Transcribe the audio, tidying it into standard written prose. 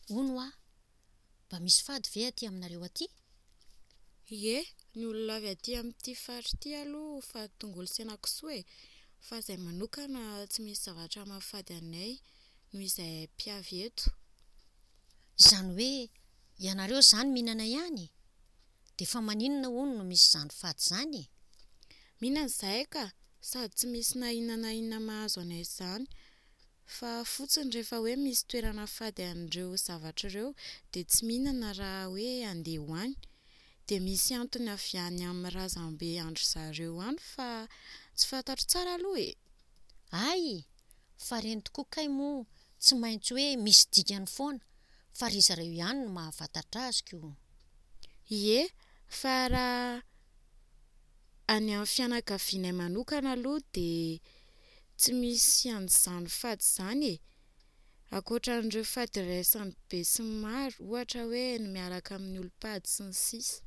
Hono hoa, mba misy fady ve aty aminareo aty? Ie, ny olona avy aty amin'ity faritra ity aloha fady tongolo sy henakisoa e. Fa izahay manokana tsy misy zavatra mahafady anay noho izahay mpiavy eto. Izany hoe ianareo izany mihinana ihany e? Dia fa maninona hono no misy izany fady izany e? Mihinana izahay ka! Sady tsy misy na inona na inona mahazo anay izany. Fa fotsiny rehefa hoe misy toerana fady an'ireo zavatra ireo dia tsy mihinana raha hoe handeha ho any. Dia misy antony avy any amin'ny razambe an-dry zareo any fa tsy fantatro tsara aloha e! Hay! Fa reny tokoa kay moa tsy maintsy hoe misy dikany foana fa ry zareo ihany no mahafantatra azy ko! Ie, fa raha any amin'ny fianakavianay manokana aloha dia tsy misy an'izany fady izany e! Ankoatran'ireo fady iraisan'ny be sy ny maro, ohatra hoe ny miaraka amin'ny olom-pady sy ny sisa.